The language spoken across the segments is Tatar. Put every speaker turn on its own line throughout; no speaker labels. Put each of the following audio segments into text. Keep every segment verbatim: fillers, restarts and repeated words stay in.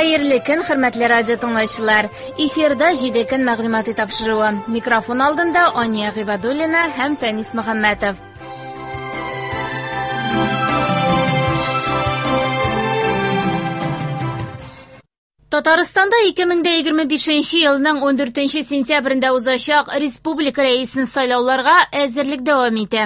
Хәерле көн, хөрмәтле радио тыңлаучылар. Эфирда җиде көн мәгълүмати тапшыруы. Микрофон алдында Ания Гыйбадуллина һәм Фәнис Мөхәммәтов. Татарстанда ике мең егерме бишенче елның ун дүртенче сентябрендә узачак республика рәисен сайлауларга әзерлек дәвам итә.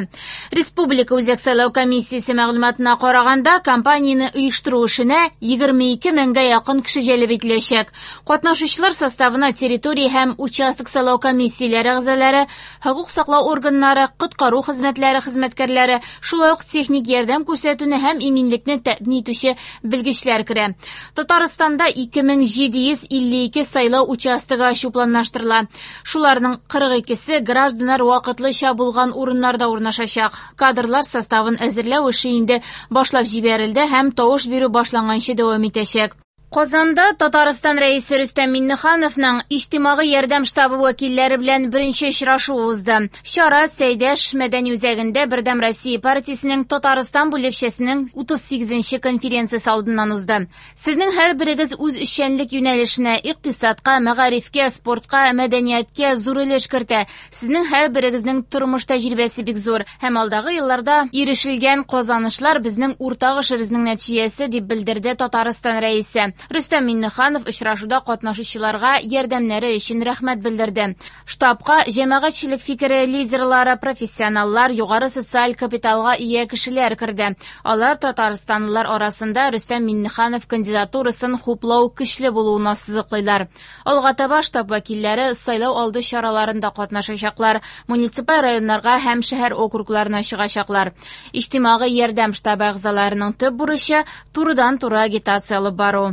Республика Үзәк сайлау комиссиясе мәгълүматына караганда, кампанияне оештыру эшенә егерме ике меңгә якын кеше җәлеп ителәчәк. Катнашучылар составына территория һәм участок сайлау комиссияләре әгъзалары, хокук саклау органнары, коткару хезмәтләре хезмәткәрләре, шулай ук техник ярдәм күрсәтүне һәм иминлекне тәэмин итүче белгечләр керә. Татарстанда ике мең җиде йөз илле ике сайлау участогы ачу планлаштырыла. Шуларның кырык икесе гражданнар вакытлыча булган урыннарда урнашачак. Кадрлар составын әзерләү эше инде башлап җибәрелде һәм тавыш бирү башланганчы дәвам итәчәк. Казанда Татарстан рәисе Рөстәм Миңнехановның иҗтимагый ярдәм штабы вәкилләре белән беренче очрашуы узды. Чара Сәйдәш мәдәни үзәгендә Бердәм Россия партиясенең Татарстан бүлекчәсенең утыз сигезенче конференциясе алдыннан узды. Сезнең һәрберегез үз эшчәнлек юнәлешенә, икътисадка, мәгарифкә, спортка, мәдәнияткә зур өлеш кертә. Сезнең һәрберегезнең тормыш тәҗрибәсе бик зур һәм алдагы елларда ирешелгән казанышлар безнең уртак эшебезнең нәтиҗәсе, дип белдерде Татарстан рәисе. Рөстәм Миңнеханов очрашуда катнашучыларга ярдәмнәре өчен рәхмәт белдерде. Штабка җәмәгатьчелек фикере лидерлары, профессионаллар, югары социаль капиталга ия кешеләр керде. Алар татарстанлылар арасында Рөстәм Миңнеханов кандидатурасын хуплау көчле булуын ассызыклыйлар. Алга таба штаб вәкилләре сайлау алды чараларында катнашачаклар, муниципаль районнарга һәм шәһәр округларына чыгачаклар. Иҗтимагый ярдәм штабы әгъзаларының төп бурычы турыдан-туры агитация алып бару.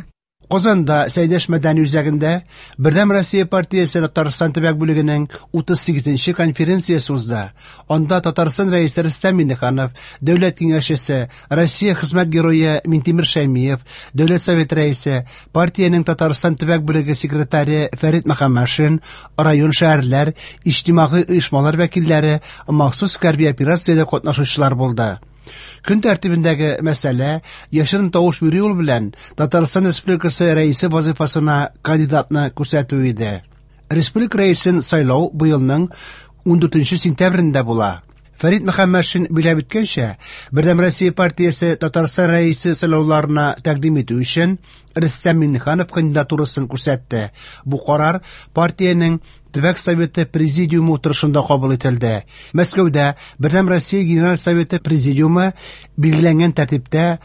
Казанда Сәйдәш мәдәни үзәгендә Бердәм Россия партиясе Татарстан төбәк бүлегенең утыз сигезенче конференциясе узды. Анда Татарстан рәисе Рөстәм Миңнеханов, Дәүләт киңәшчесе, Россия хезмәт герое Минтимер Шәймиев, Дәүләт Советы рәисе, партиянең Татарстан төбәк бүлеге секретаре Фәрит Мөхәммәтшин, район шәһәрләр, иҗтимагый оешмалар вәкилләре, махсус хәрби операциядә катнашучылар булды. Көн тәртибендәге мәсьәлә яшерен тавыш бирү юлы белән Татарстан Республикасы рәисе вазифасына кандидатны күрсәтү иде. Республика рәисен сайлау быелның ун дүртенче сентябрендә була. Фәрит Мөхәммәтшин биләп үткәнчә, Бердәм Россия партиясе Татарстан рәисе сайлауларына тәкъдим итү өчен Рөстәм Миңнеханов кандидатурасын күрсәтте. Бу карар партиянең Төбәк Советы Президиумы утырышында кабул ителде. Мәскәүдә Бердәм Россия Генераль Советы Президиумы билгеләнгән тәртиптә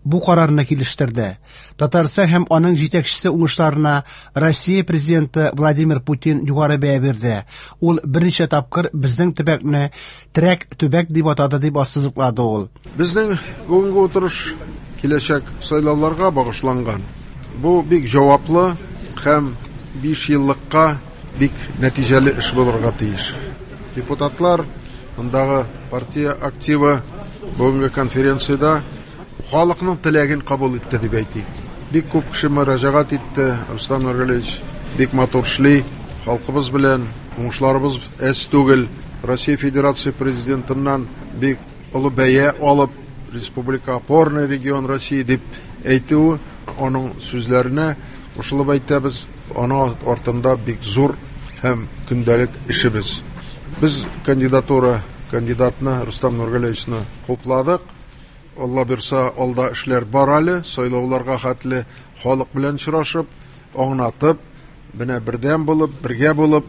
бу карарны килештерде. Татарстан һәм аның җитәкчесе уңышларына Россия президенты Владимир Путин югары бәя бирде. Ул берничә тапкыр безнең төбәкне терәк төбәк дип атады, дип ассызыклады ул.
Безнең бүгенге утырыш киләчәк сайлауларга багышланган. Бу бик җаваплы һәм биш еллыкка бик нәтиҗәле эш булырга тиеш. Депутатлар, мондагы партия активы бүгенге конференциядә халыкның теләген кабул итте дип әйтик. Бик күп кеше мөрәҗәгать итте. Рөстәм Нургалиевич бик матур эшли, халкыбыз белән уңышларыбыз әз түгел. Россия Федерация президентыннан бик олы бәя алып, республика опорный регион России дип әйтүе, аның сүзләренә кушылып әйтәбез. Аның артында бик зур һәм көндәлек эшебез. Без кандидатура кандидатны Рөстәм Нургалиевичны хупладык. Алла бирса, алда эшләр бар әле, сайлауларга хәтле халык белән очрашып, аңлатып, менә бердәм булып, бергә булып,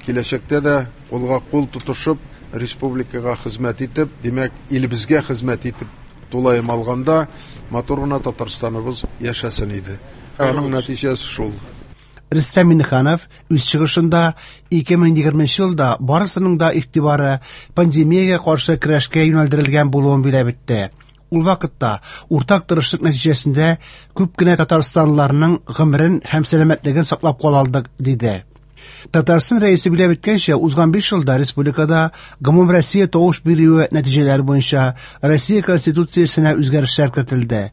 киләчәктә дә кулга кул тотышып, республикага хезмәт итеп, димәк, илебезгә хезмәт итеп, тулаем алганда матур гына Татарстаныбыз яшәсен иде. Аның нәтиҗәсе шул.
Рөстәм Миңнеханов үз чыгышында ике мең егерменче елда барысының да игътибары пандемиягә каршы көрәшкә юнәлдерелгән булуын биләп үтте. Ул вакытта уртак тырышлык нәтиҗәсендә күп кенә татарстанлыларның гомерен һәм сәламәтлеген саклап кала алдык, диде. Татарстан рәисе биләп үткәнчә, узган биш елда республикада гомум Россия тавыш бирүе нәтиҗәләре буенча Россия Конституциясенә үзгәрешләр кертелде.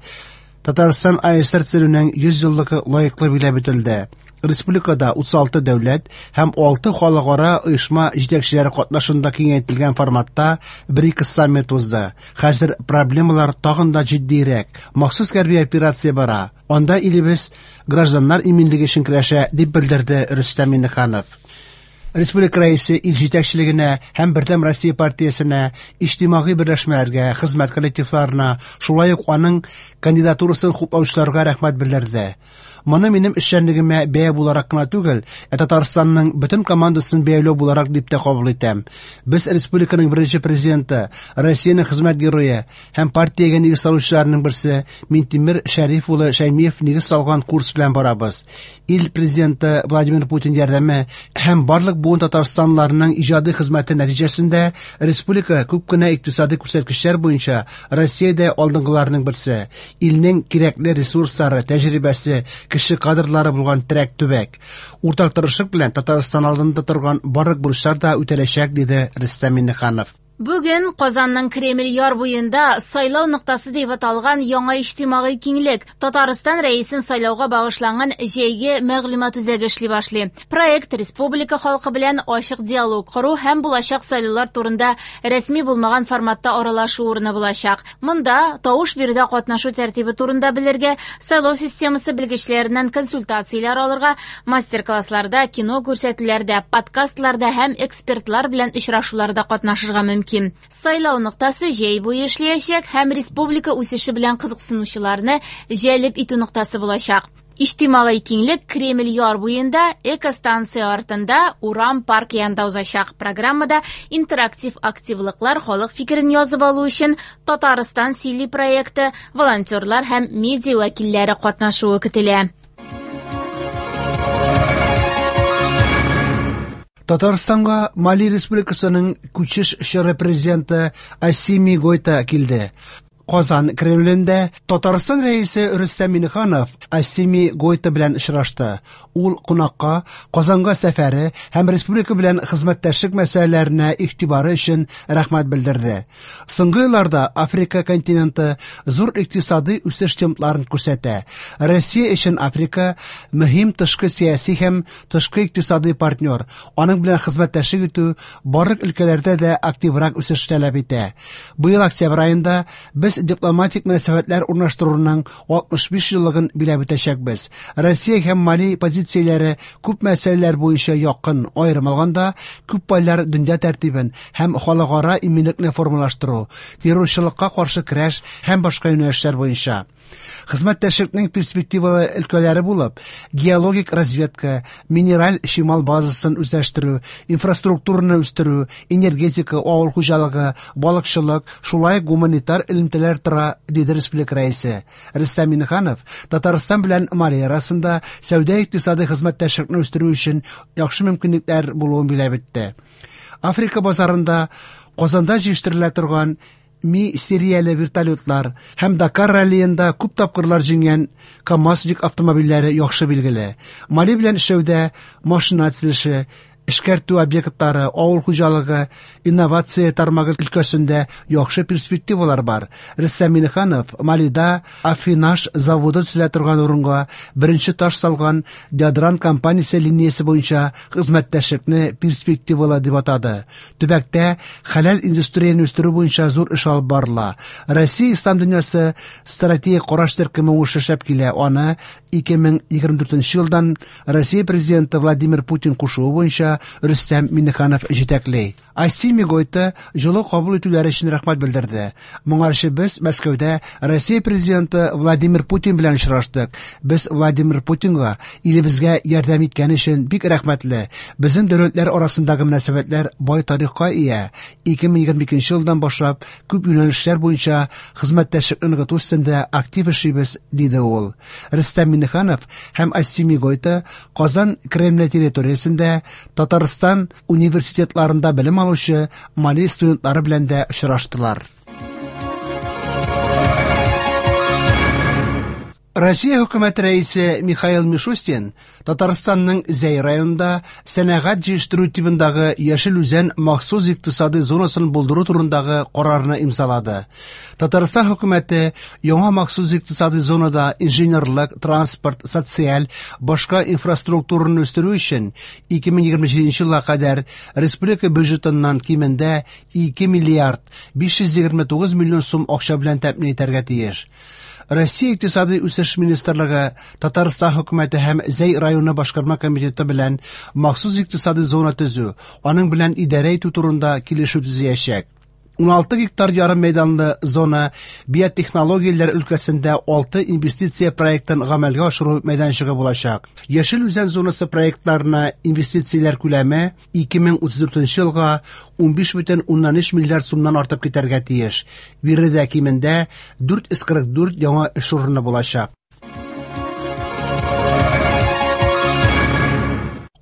Татарстан АССР төзелүенең йөз еллыгы лаеклы биләп үтелде. Республикада утыз алты дәүләт һәм алты халыкара оешма җитәкчеләре катнашында киңәйтелгән форматта БРИКС саммит узды. Хәзер проблемалар тагын да җитдирәк. Махсус хәрби операция бара. Анда илебез гражданнар иминлеге өчен көрәшә, дип белдерде Рөстәм Миңнеханов. Республика рәисе ил җитәкчелегенә һәм Бердәм Россия партиясенә, иҗтимагый берләшмәләргә, хезмәт коллективларына, шулай ук аның кандидатурасын хуплаучыларга рәхмәт белдерде. Моны минем эшчәнлегемә бәя буларак кына түгел, ә Татарстанның бөтен командасын бәяләү буларак дип тә кабул итәм. Без республиканың беренче президенты, Россиянең хезмәт герое һәм партиягә нигез салучыларның берсе Минтимер Шәриф улы Шәймиев нигез салган курс белән барабыз. Ил президенты Владимир Путин ярдәме һәм барлык буын татарстанлыларның иҗади хезмәте нәтиҗәсендә республика күп кенә икътисади күрсәткечләр буенча Россиядә алдынгыларның берсе. Илнең кирәкле ресурслары, тәҗрибәсе, кеше кадрлары булган терәк төбәк. Уртак тырышлык белән Татарстан алдында торган барлык бурычлар да үтәләчәк, диде Рөстәм Миңнеханов.
Бүген Казанның Кремль яр буенда сайлау ноктасы дип аталган яңа иҗтимагый киңлек Татарстан рәисен сайлауга багышланган җәйге мәгълүмат үзәге эшли башлый. Проект республика халкы белән ачык диалог кору һәм булачак сайлаулар турында рәсми булмаган форматта аралашу урыны булачак. Монда тавыш бирүдә катнашу тәртибе турында белергә, сайлау системасы белгечләреннән консультацияләр алырга, мастер-классларда, кино күрсәтүләрдә, подкастларда һәм экспертлар белән очрашуларда катнашырга мөмкин. Сайлау ноктасы җәй буе эшләячәк һәм республика үсеше белән кызыксынучыларны җәлеп итү ноктасы булачак. Иҗтимагый киңлек Кремль яр буенда, экостанция артында, урам парк янында узачак. Программада интерактив активлыклар, халык фикерен язып алу өчен Татарстан сөйли проекты, волонтерлар һәм медиа вәкилләре катнашуы көтелә.
Татарстанга Мали Республикасының күчеш чоры президенты Асими Гойта килде. Казан Кремлендә Татарстан рәисе Рөстәм Миңнеханов Асими Гойта белән очрашты. Ул кунакка Казанга сәфәре һәм республика белән хезмәттәшлек мәсьәләләренә игътибары өчен рәхмәт белдерде. Соңгы елларда Африка континенты зур икътисади үсеш темпларын күрсәтә. Россия өчен Африка мөһим тышкы сәяси һәм тышкы икътисади партнер. Аның белән хезмәттәшлек итү барлык өлкәләрдә дә активрак үсеш таләп итә. Быел октябрь аенда без дипломатик мөнәсәбәтләр урнаштыруның алтмыш биш еллыгын биләп үтәчәкбез. Россия һәм Мали позицияләре күп мәсьәләләр буенча якын, аерым алганда, күп пайлар дөнья тәртибен һәм халыкара иминлекне формалаштыру, террорчылыкка каршы көрәш һәм башка юнәлешләр буенча. Хезмәттәшлекнең перспективалы өлкәләре булып, геологик разведка, минераль чимал базасын үзләштерү, инфраструктураны үстерү, энергетика, авыл хуҗалыгы, балыкчылык, шулай ук гуманитар элемтәләр тора, диде республика рәисе. Рөстәм Миңнеханов Татарстан белән Мали арасында сәүдә-икътисади хезмәттәшлекне үстерү өчен яхшы мөмкинлекләр булуын билгеләп үтте. Африка базарында Казанда җитештерелә торган Ми серияле вертолетлар һәм Дакар раллиенда күп тапкырлар җиңгән КАМАЗ йөк автомобильләре яхшы билгеле. Мали белән эшләүдә машина төзелеше, эшкәртү объектлары, авыл хуҗалыгы, инновация тармагы өлкәсендә яхшы перспективалар бар. Рөстәм Миңнеханов Малида Афинаж заводы төзелә торган урынга беренче таш салган Ядран компаниясе линиясе буенча хезмәттәшлекне перспективалы дип атады. Төбәктә хәләл индустрияне үстерү буенча зур эш алып барыла. Россия ислам дөньясы стратегик караш төркеме уңышлы эшләп килә. Аны ике мең егерме дүртенче елдан Россия президенты Владимир Путин кушуы буенча Рөстәм Миңнеханов җитәкли. Асими Гойта җылы кабул итүләре өчен рәхмәт белдерде. Моңарчы без Мәскәүдә Россия президенты Владимир Путин белән очраштык. Без Владимир Путинга илебезгә ярдәм иткән өчен бик рәхмәтле. Безнең дәүләтләр арасындагы мөнәсәбәтләр бай тарихка ия. ике мең егерме икенче елдан башлап күп юнәлешләр буенча хезмәттәшлекне ныгыту өстендә актив эшлибез, диде ул. Рөстәм Миңнеханов һәм Асими Гойта Казан Кремле территориясендә Татарстан университетларында белем алучы Мали студентлары белән дә очраштылар. Россия хөкүмәте рәисе Михаил Мишустин Татарстанның Зәй районында сәнәгать җыештыру тибындагы Яшел Үзән махсус икътисади зонасын булдыру турындагы карарны имзалады. Татарстан хөкүмәте яңа махсус икътисади зонада инженерлык, транспорт, социаль, башка инфраструктураны үстерү өчен ике мең егерме җиденче елга кадәр республика бюджетыннан кимендә ике миллиард биш йөз егерме тугыз миллион сум акча белән тәэмин итәргә тиеш. Россия Икътисади үсеш министрлыгы Татарстан хөкүмәте һәм Зәй районы башкарма комитеты белән махсус икътисади зона төзү, аның белән идарә итү турында килешү төзәячәк. ун алты гектар ярым мәйданлы зона биотехнологияләр өлкәсендә алты инвестиция проектын гамәлгә ашыру мәйданчыгы булачак. Яшел Үзән зонасы проектларына инвестицияләр күләме ике мең утыз дүртенче елга ун биш бөтен уннан өч миллиард сумнан артып китәргә тиеш. Биредә кимендә дүрт йөз кырык дүрт яңа эш урыны булачак.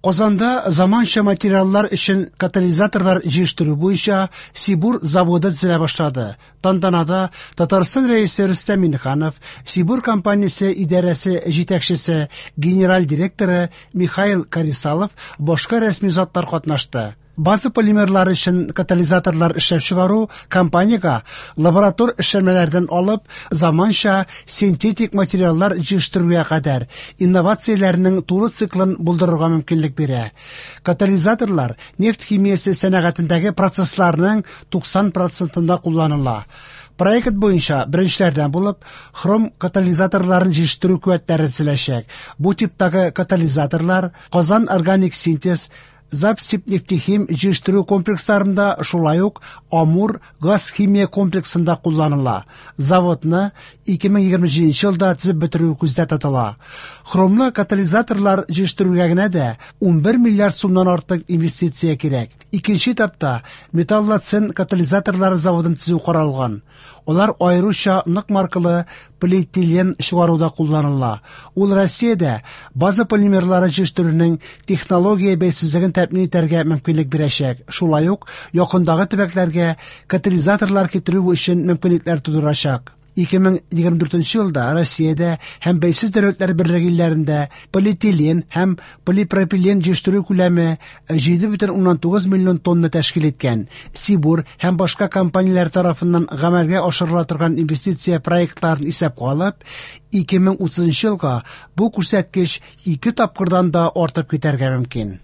Казанда заманча материаллар өчен катализаторлар җыештыру буенча Сибур заводы төзелә башлады. Тантанада Татарстан рәисе Рөстәм Миңнеханов, Сибур компаниясе идарәсе җитәкчесе, генераль директоры Михаил Карисалов, башка рәсми затлар катнашты. База полимерлары өчен катализаторлар эшләп чыгару компаниягә лаборатор эшләнмәләрдән алып заманча синтетик материаллар җыештыруга кадәр инновацияләрнең тулы циклын булдырырга мөмкинлек бирә. Катализаторлар нефть химиясе сәнәгатендәге процессларның туксан процентында кулланыла. Проект буенча беренчеләрдән булып хром катализаторларын җыештыру куәтләре төзеләчәк. Бу типтагы катализаторлар Казан органик синтез, Запсибнефтехим җыештыру комплексларында, шулай ук Амур газ химия комплексында кулланыла. Заводны ике мең егерме җиденче елда төзеп бетерү күздә тотыла. Хромлы катализаторлар җыештыруга генә дә ун бер миллиард сумнан артык инвестиция кирәк. Икенче этапта металлоцен катализаторлары заводын төзү каралган. Алар аеруча нык маркалы полиэтилен чыгаруда кулланыла. Ул Россиядә база полимерлары җыештыруның технология бәйсезлеген тәэмин итәргә мөмкинлек бирәчәк. Шулай ук якындагы төбәкләргә катализаторлар китерү өчен мөмкинлекләр тудырачак. Ике мең егерме дүртенче елда Россиядә һәм бәйсез дәүләтләр берлеге илләрендә полиэтилен һәм полипропилен җыештыру күләме җиде бөтен уннан тугыз миллион тонна тәшкил иткән. Сибур һәм башка компанияләр тарафыннан гамәлгә ашырыла торган инвестиция проектларын исәпкә алып, ике мең утызынчы елга бу күрсәткеч ике тапкырдан да артып китәргә мөмкин.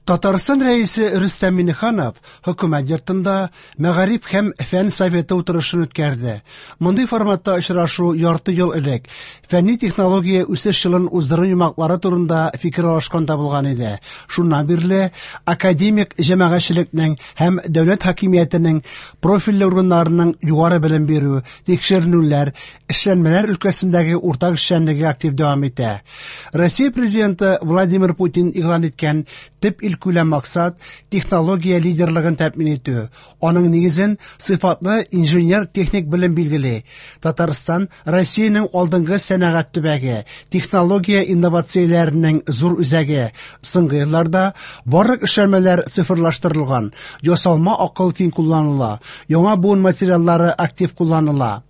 Татарстан рәисе Рөстәм Миңнеханов хөкүмәт йортында Мәгариф һәм фән советы утырышын үткәрде. Мондый форматта очрашу ярты ел элек фәнни технология үсеш елын уздыру йомгаклары турында фикер алышканда булган иде. Шуннан бирле академик җәмәгатьчелекнең һәм дәүләт хакимиятенең профильле органнарының югары белем бирү, тикшеренүләр, эшләнмәләр өлкәсендәге уртак эшчәнлеге актив дәвам итә. Россия президенты Владимир Путин игълан иткән төп илкүләм максат технология лидерлыгын тәэмин итү. Аның нигезен сыйфатлы инженер-техник белем билгели. Татарстан Россиянең алдынгы сәнәгать төбәге, технология инновацияләренең зур үзәге. Соңгы елларда барлык эшләнмәләр цифрлаштырылган, ясалма акыл киң кулланыла, яңа буын материаллары актив кулланыла.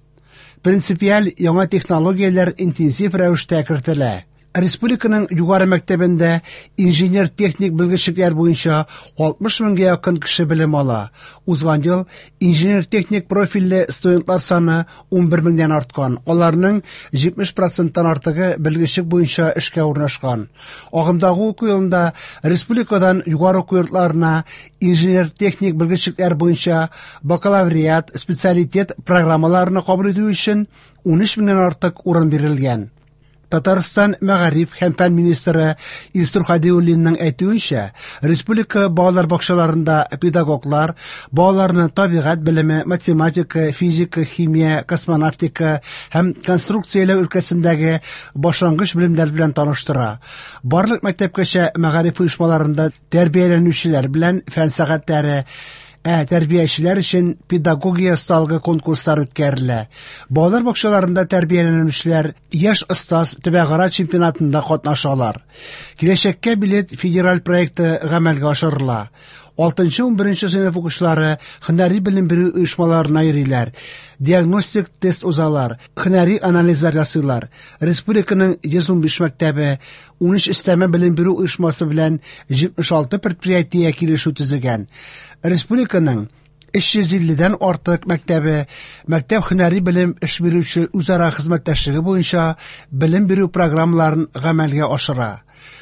Принципиаль яңа технологияләр интенсив рәвештә кертелә. Республиканың югары мәктәбендә инженер-техник белгечлекләр буенча алтмыш меңгә якын кеше белем ала. Узган ел инженер-техник профильле студентлар саны ун бер меңнән арткан. Аларның җитмеш проценттан артыгы белгечлек буенча эшкә урнашкан. Агымдагы уку елында республикадан югары уку йортларына инженер-техник белгечлекләр буенча бакалавриат, специалитет программаларына кабул итү өчен ун өч меңнән артык урын бирелгән. Татарстан мәгариф һәм фән министры Илсур Хадиуллинның әйтүенчә, республика балалар бакчаларында педагоглар балаларны табигать белеме, математика, физика, химия, космонавтика һәм конструкцияләү өлкәсендәге башлангыч белемнәр белән таныштыра. Барлык мәктәпкәчә мәгариф оешмаларында тәрбияләнүчеләр белән фән сәгатьләре, ә тәрбиячеләр өчен педагогия осталыгы конкурслар үткәрелә. Балалар бакчаларында тәрбияләнүчеләр Яшь остаз төбәкара чемпионатында катнашалар. Киләчәккә билет федераль проекты гамәлгә ашырыла. Алтынчы-унберенче сыйныф укучылары һөнәри белем бирү оешмаларына йөриләр, диагностик тест узалар, һөнәри анализлар ясыйлар. Республиканың йөз унбиш мәктәбе унөч өстәмә белем бирү оешмасы белән җитмеш алты предприятие килешү төзегән. Республиканың өч йөз илледән артык мәктәбе мәктәп һөнәри белем эш бирүче үзара хезмәттәшлеге буенча белем бирү программаларын гамәлгә ашыра.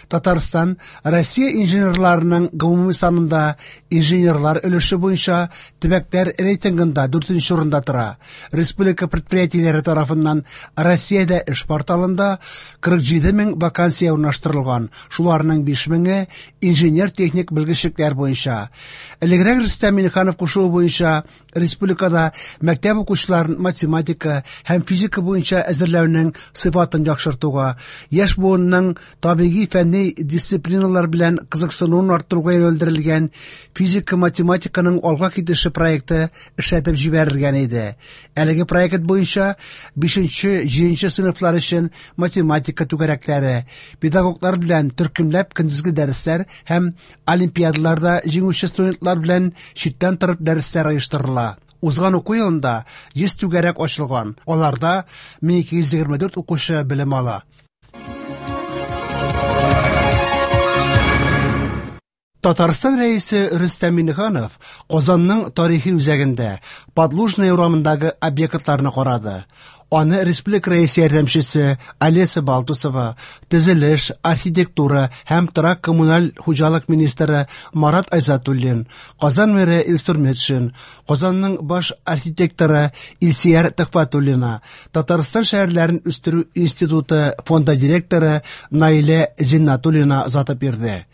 Татарстан Россия инженерларының гомуми санында инженерлар өлеше буенча төбәкләр рейтингында дүртенче урында тора. Республика предприятиеләре тарафыннан Россиядә эш порталында кырык җиде мең вакансия урнаштырылган, шуларның биш меңе инженер-техник белгечлекләр буенча. Элегрәк Рөстәм Миңнеханов кушуы буенча республикада мәктәп укучыларын математика һәм физика буенча әзерләүнең сыйфатын яхшыртуга, яшь буынның табигый фәнни дисциплиналар белән кызыксынуын арттыруга юнәлдерелгән физика-математиканың алга китеше проекты эшләтеп җибәрелгән иде. Әлеге проект буенча бишенче-җиденче сыйныфлар өчен математика түгәрәкләре, педагоглар белән төркемләп көндезге дәресләр һәм олимпиадаларда җиңүче студентлар белән читтән торып дәресләр оештырыла. Узган уку елында йөз түгәрәк ачылган, аларда мең ике йөз егерме дүрт укучы белем ала. Татарстан рәисе Рөстәм Миңнеханов Казанның тарихи үзәгендә Подлужная урамындагы объектларны карады. Аны республика рәисе ярдәмчесе Олеся Балтусова, төзелеш, архитектура һәм торак коммуналь хуҗалык министры Марат Айзатуллин, Казан мэры Илсур Метшин, Казанның баш архитекторы Илсөяр Төхфәтуллина, Татарстан шәһәрләрен үстерү институты фонды директоры Наилә Зиннатуллина озатып йөрде.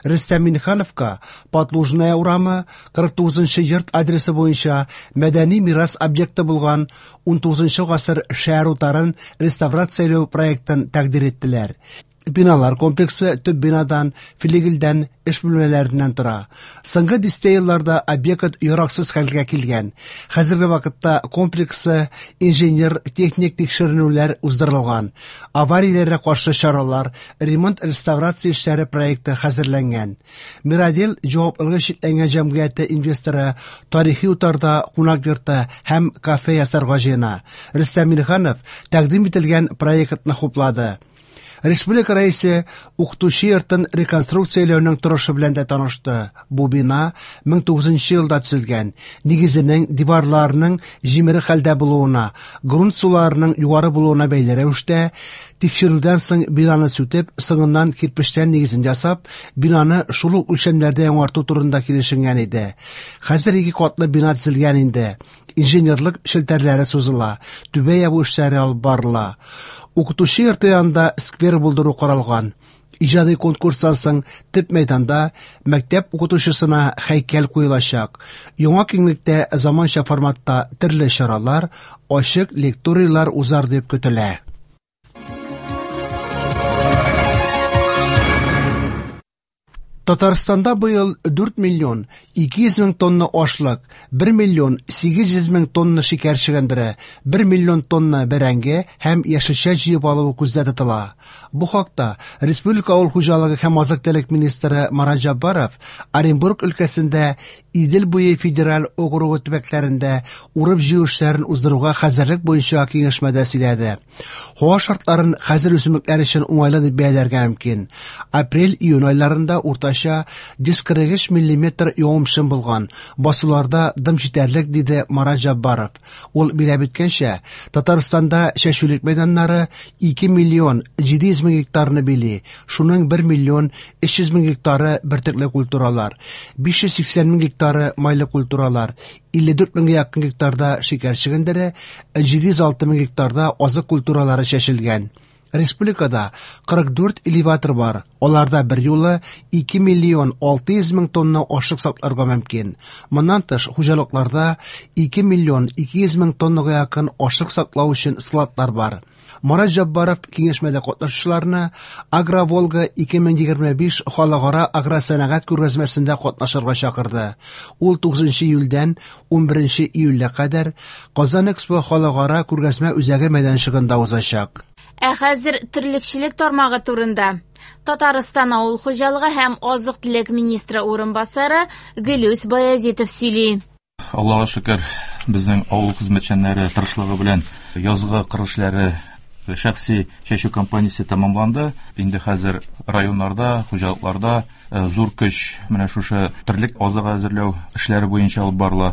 Рөстәм Миңнехановка Подлужная урамы кырык тугызынчы йорт адресы буенча мәдәни мирас объекты булган унтугызынчы гасыр шәһәр утарын реставрацияләү проектын тәкъдир иттеләр. Биналар комплексы төп бинадан, флигельдән, эш бүлмәләреннән тора. Соңгы дистә елларда объект яраксыз хәлгә килгән. Хәзерге вакытта комплексы инженер-техник тикшеренүләр уздырылган. Аварияләргә каршы чаралар, ремонт-реставрация эшләре проекты хәзерләнгән. Мирадел җаваплылыгы чикләнгән җәмгыяте инвесторы тарихи утарда кунак йорты һәм кафе ясарга җыена. Рөстәм Миңнеханов тәкъдим ителгән проектны хуплады. Республика рәисе укытучы йортын реконструкцияләүнең торышы белән дә танышты. Бу бина мең тугызынчы елда төзелгән. Нигезенең диварларының җимерек хәлдә булуына, грунт суларының югары булуына бәйле рәвештә тикшерүдән соң бинаны сүтеп, соңыннан кирпечтән нигезен ясап, бинаны шул ук үлчәмнәрдә яңарту турында килешенгән иде. Хәзер ике катлы бина төзелгән инде. Инженерлык челтәрләре сузыла, түбә ябу эшләре алып барыла. Укытучы йорты янында сквер булдыру каралган. Иҗади конкурстан соң төп мәйданда мәктәп укытучысына һәйкәл куелачак. Яңа киңлектә заманча форматта төрле чаралар, ачык лекторийлар узар дип көтелә. Татарстанда быел дүрт миллион ике йөз мең тонна ашлык, бер миллион сигез йөз мең тонна шикәр чөгендере, бер миллион тонна бәрәңге һәм яшелчә җыеп алу күздә тотыла. Бу хакта Республика авыл хуҗалыгы һәм азык-төлек министры Марат Җаббаров Оренбург өлкәсендә Идел буе федераль округы төбәкләрендә урып-җыю эшләрен уздыруга хәзерлек буенча киңәшмәдә сөйләде. Һава шартларын хәзер үсемлекләр өчен уңайлы дип бәяләргә мөмкин. Апрель-июнь айларында уртача йөз кырык өч миллиметр явым-төшем булган. Басуларда дым җитәрлек, диде Марат Җаббаров. Ул биләп үткәнчә, Татарстанда чәчүлек мәйданнары ике миллион җиде йөз мең гектарны били. Шуның бер миллион өч йөз мең гектары бөртекле культуралар, биш йөз сиксән мең гектары майлы культуралар, илле дүрт меңгә якын гектарда шикәр чөгендере, җиде йөз алты мең гектарда азык культуралары чәчелгән. Республикада кырык дүрт элеватор бар. Аларда бер юлы ике миллион алты йөз мең тонна ашлык сакларга мөмкин. Моннан тыш хуҗалыкларда ике миллион ике йөз мең тоннага якын ашлык саклау өчен складлар бар. Марат Җаббаров киңәшмәдә катнашучыларны Агроволга ике мең егерме биш халыкара агросәнәгать күргәзмәсендә катнашырга чакырды. Ул тугызынчы июльдән унберенче июльгә кадәр Казан Экспо халыкара күргәзмә үзәге мәйданчыгында узачак.
Ә хәзер терлекчелек тармагы турында. Татарстан авыл хуҗалыгы һәм азык-төлек министры урынбасары Гөлүс Баязитов сөйли.
Аллага шөкер, безнең авыл хезмәтчәннәре тырышлыгы белән язгы кыр эшләре шәхси чәчү кампаниясе тәмамланды. Инде хәзер районнарда, хуҗалыкларда зур көч менә шушы терлек азыгы әзерләү эшләре буенча алып барыла.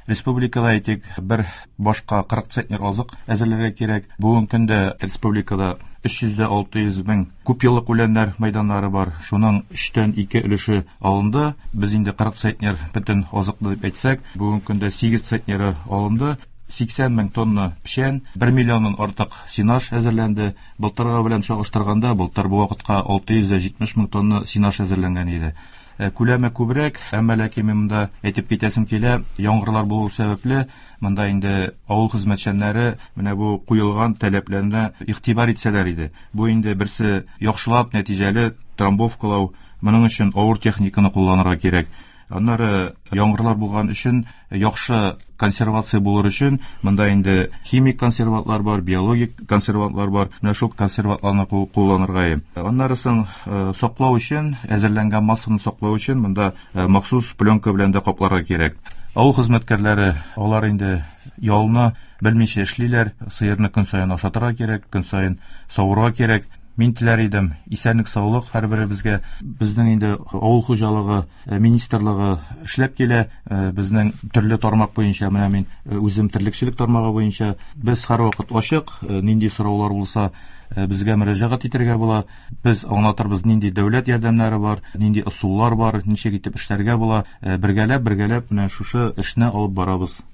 Республикада әйтик, бер башка кырык центнер азык әзерләргә кирәк. Бүгенге көндә республикада өч йөз дә алты йөз мең күп еллык үләннәр мәйданнары бар. Шуның өчтән ике өлеше алынды. Без инде кырык центнер бөтен азыкны дип әйтсәк, бүгенге көндә сигез центнеры алынды. Сиксән мең тонна печән, бер миллионнан артык сенаж әзерләнде. Былтыргы белән чагыштырганда, былтыр бу вакытка алты йөз дә җитмеш мең тонна сенаж әзерләнгән иде. Күләме күбрәк, әмма ләкин мин монда әйтеп китәсем килә, яңгырлар булу сәбәпле, монда инде авыл хезмәтчәннәре менә бу куелган таләпләренә игътибар итсәләр иде. Бу инде берсе яхшылап нәтиҗәле трамбовкалау, моның өчен авыр техниканы кулланырга кирәк. Аннары яңгырлар булган өчен яхшы консервация булыр өчен монда инде химик консервантлар бар, биологик консервантлар бар. Менә шул консервантларны кулланырга. Аннары соң саклау өчен, әзерләнгән массаны саклау өчен монда махсус пленка белән дә капларга кирәк. Авыл хезмәткәрләре, алар инде ялны белмичә эшлиләр, сыерны көн саен ашатырга кирәк, көн саен савырга кирәк. Мин теләр идем, исәнлек, саулык һәрберебезгә. Безнең инде авыл хуҗалыгы министрлыгы эшләп килә. Безнең төрле тармак буенча, менә мин үзем терлекчелек тармагы буенча, без һәрвакыт ачык, нинди сораулар булса, безгә мөрәҗәгать итәргә була. Без аңлатырбыз, нинди дәүләт ярдәмнәре бар, нинди ысуллар бар, ничек итеп эшләргә була. Бергәләп, бергәләп менә шушы эшне алып барабыз.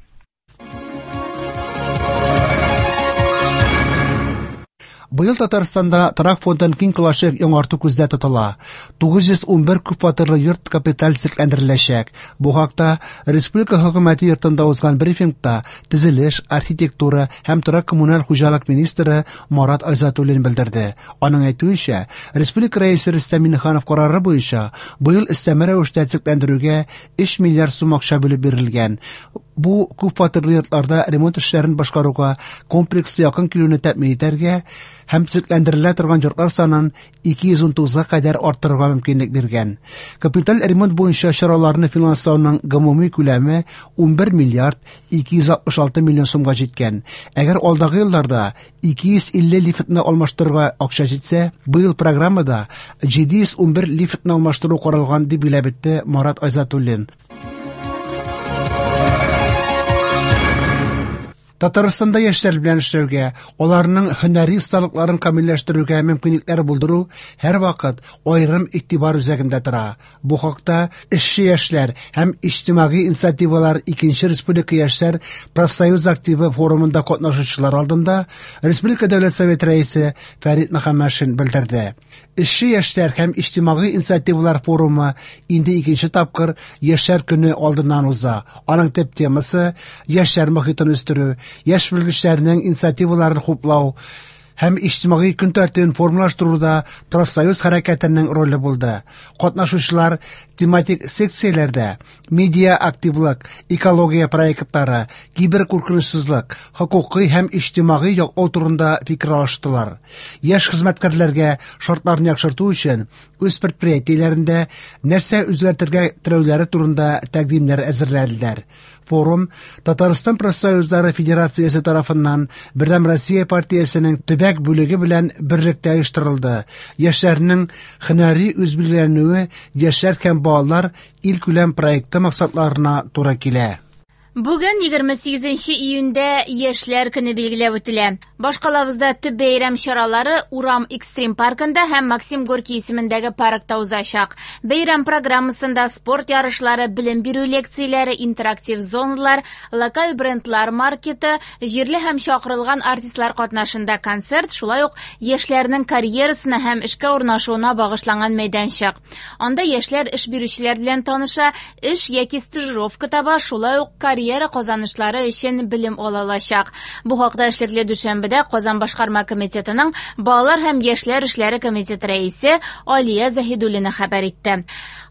Быел Татарстанда торак фондын киң колачлы яңарту күздә тотыла. тугыз йөз унбер күп фатирлы йорт капиталь төзекләндереләчәк. Бу хакта Республика хөкүмәте йортында узган брифингта төзелеш, архитектура һәм торак коммуналь хуҗалык министры Марат Айзатуллин белдерде. Аның әйтүенчә, Республика рәисе Рөстәм Миңнеханов карары буенча быел өстәмә рәвештә төзекләндерүгә өч миллиард сум акча бүлеп бирелгән. Бу күп фатирлы йортларда ремонт эшләрен башкаруга комплекслы якын килүне тәэмин итәргә һәм төзекләндерелә торган йортлар санын ике йөз унтугызга кадәр арттырырга мөмкинлек биргән. Капиталь ремонт буенча чараларны финанслауның гомуми күләме унбер миллиард ике йөз алтмыш алты миллион сумга җиткән. Әгәр алдагы елларда ике йөз илле лифтны алмаштырырга акча җитсә, быел программада җиде йөз унбер лифтны алмаштыру каралган, дип билгеләп үтте Марат Айзатуллин. Татарстанда яшьләр белән эшләүгә, аларның һөнәри осталыкларын камилләштерүгә мөмкинлекләр булдыру һәрвакыт аерым игътибар үзәгендә тора. Бу хакта эшче яшьләр һәм иҗтимагый инициативалар икенче республика яшьләр профсоюз активы форумында катнашучылар алдында Республика Дәүләт Советы рәисе Фәрит Мөхәммәтшин белдерде. Эшче яшьләр һәм иҗтимагый инициативалар форумы инде икенче тапкыр Яшьләр көне алдыннан уза. Аның төп темасы яшьләр мохитен үстерү, яшь белгечләрнең инициативаларын хуплау һәм иҗтимагый көн тәртибен формалаштыруда профсоюз хәрәкәтенең роле булды. Катнашучылар тематик секцияләрдә медиа активлык, экология проектлары, киберкуркынычсызлык, хокукый һәм иҗтимагый яклау турында фикер алыштылар. Яшь хезмәткәрләргә шартларны яхшырту өчен үз предприятиеләрендә нәрсә үзгәртергә теләүләре турында тәкъдимнәр әзерләделәр. Форум Татарстан профсоюзлары Федерациясе тарафыннан Бердәм Россия партиясенең төбәк бүлеге белән берлектә оештырылды. Яшьләрнең һөнәри үзбилгеләнүе яшьләр һәм балалар илкүләм проекты максатларына туры килә.
Бүген егерме сигезенче июньдә Яшьләр көне билгеләп үтелә. Башкалабызда төп бәйрәм чаралары Урам экстрим паркында һәм Максим Горький исемендәге паркта узачак. Бәйрәм программасында спорт ярышлары, белем бирү лекцияләре, интерактив зоналар, локаль брендлар маркеты, җирле һәм чакырылган артистлар катнашында концерт, шулай ук яшьләрнең карьерасына һәм эшкә урнашуына багышланган мәйданчык. Анда яшьләр эш бирүчеләр белән таныша, эш яки стажировка таба, шулай ук карьера карьера казанышлары өчен белем ала алачак. Бу хакта эшлекле дүшәмбедә Казан башкарма комитетының Балалар һәм яшьләр эшләре комитеты рәисе Алия Заһидуллина хәбәр итте.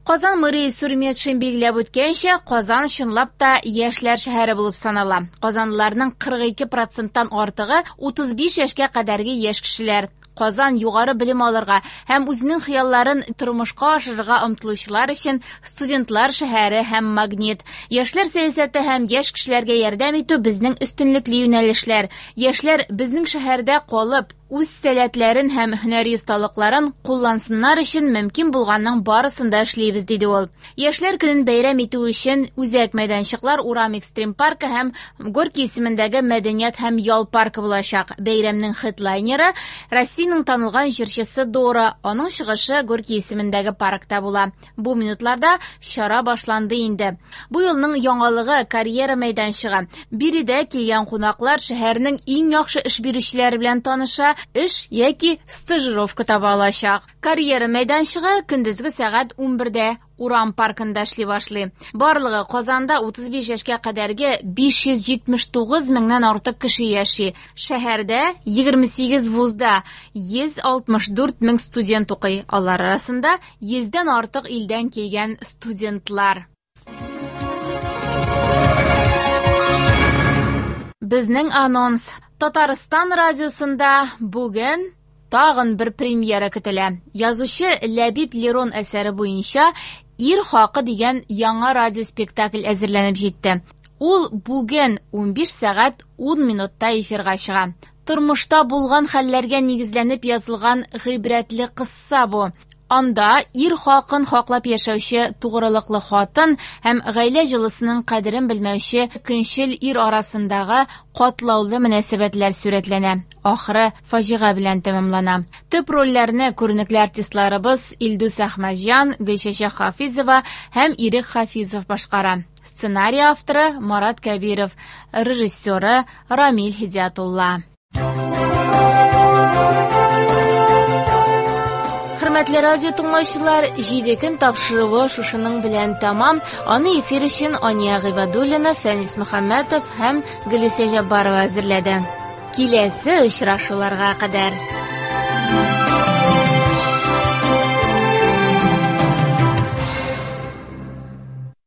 Казан мэры Илсур Метшин билгеләп үткәнчә, Казан чынлап та яшьләр шәһәре булып санала. Казанлыларның кырык ике проценттан артыгы утыз биш яшькә кадәрге яшь кешеләр. Казан югары белем алырга һәм үзенең хыялларын тормышка ашырырга омтылучылар өчен студентлар шәһәре һәм магнит. Яшьләр сәясәте һәм яшь кешеләргә ярдәм итү безнең өстенлекле юнәлешләр. Яшьләр безнең шәһәрдә калып, үз сәләтләрен һәм һөнәри осталыкларын куллансыннар өчен мөмкин булганның барысын да эшлибез, диде ул. Яшьләр көнен бәйрәм итү өчен үзәк мәйданчыклар Урам экстрим паркы һәм Горький исемендәге мәдәният һәм ял паркы булачак. Бәйрәмнең хедлайнеры Россиянең танылган җырчысы Дора. Аның чыгышы Горький исемендәге паркта була. Бу минутларда чара башланды инде. Бу елның яңалыгы карьера мәйданчыгы. Биредә килгән кунаклар шәһәрнең иң яхшы эш бирүчеләре белән таныша, эш яки стажировка таба алачак. Карьера мәйданчыгы көндезге сәгать унбердә Урам паркында эшли башлый. Барлыгы Казанда утыз биш яшькә кадәрге биш йөз җитмеш тугыз меңнән артык кеше яши. Шәһәрдә егерме сигез вузда йөз алтмыш дүрт мең студент укый. Алар арасында йөздән артык илдән килгән студентлар. Безнең анонс. Татарстан радиосында бүген тагын бер премьера көтелә. Язучы Ләбиб Лерон әсәре буенча Ир хакы дигән яңа радиоспектакль әзерләнеп җитте. Ул бүген унбиш сәгать ун минутта эфирга чыга. Тормышта булган хәлләргә нигезләнеп язылган гыйбрәтле кысса бу. Анда ир хакын хаклап яшәүче тугрылыклы хатын һәм гаилә җылысының кадерен белмәүче көнчел ир арасындагы катлаулы мөнәсәбәтләр сурәтләнә. Ахыры фаҗига белән тәмамлана. Төп рольләрне күренекле артистларыбыз Илдус Әхмәтҗан, Гөлчәчәк Хафизова һәм Ирек Хафизов башкара. Сценарий авторы Марат Кәбиров, режиссеры Рамил Һидиятулла. Хөрмәтле радио тыңлаучылар, җиде көн тапшыруы шушының белән тәмам. Аны эфир өчен Ания Гыйбадуллина, Фәнис Мөхәммәтов һәм Гөлүсә Җаббарова әзерләде. Киләсе очрашуларга кадәр.